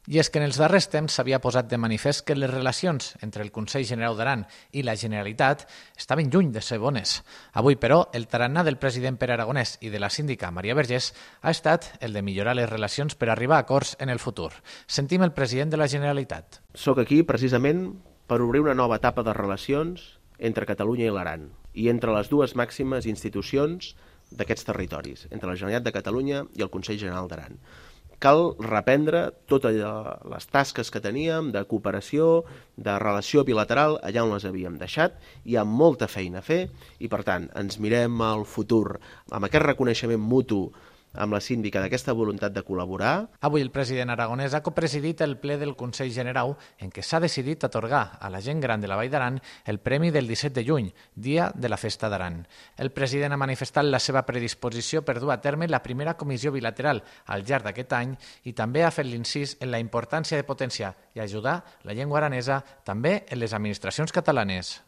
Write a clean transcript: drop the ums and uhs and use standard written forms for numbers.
I és que en els darrers temps s'havia posat de manifest que les relacions entre el Consell Generau d'Aran i la Generalitat estaven lluny de ser bones. Avui, però, el tarannà del president Pere Aragonès i de la síndica Maria Vergés ha estat el de millorar les relacions per arribar a acords en el futur. Sentim el president de la Generalitat. Soc aquí precisament per obrir una nova etapa de relacions entre Catalunya i l'Aran i entre les dues màximes institucions d'aquests territoris, entre la Generalitat de Catalunya i el Consell General d'Aran. Cal reprendre totes les tasques que teníem de cooperació, de relació bilateral, allà on les havíem deixat. Hi ha molta feina a fer i, per tant, ens mirem al futur amb aquest reconeixement mutu amb la síndica d'aquesta voluntat de col·laborar. Avui el president aragonès ha copresidit el ple del Consell Generau en què s'ha decidit atorgar a la gent gran de la Vall d'Aran el premi del 17 de juny, dia de la Festa d'Aran. El president ha manifestat la seva predisposició per dur a terme la primera comissió bilateral al llarg d'aquest any i també ha fet l'incís en la importància de potenciar i ajudar la llengua aranesa també en les administracions catalanes.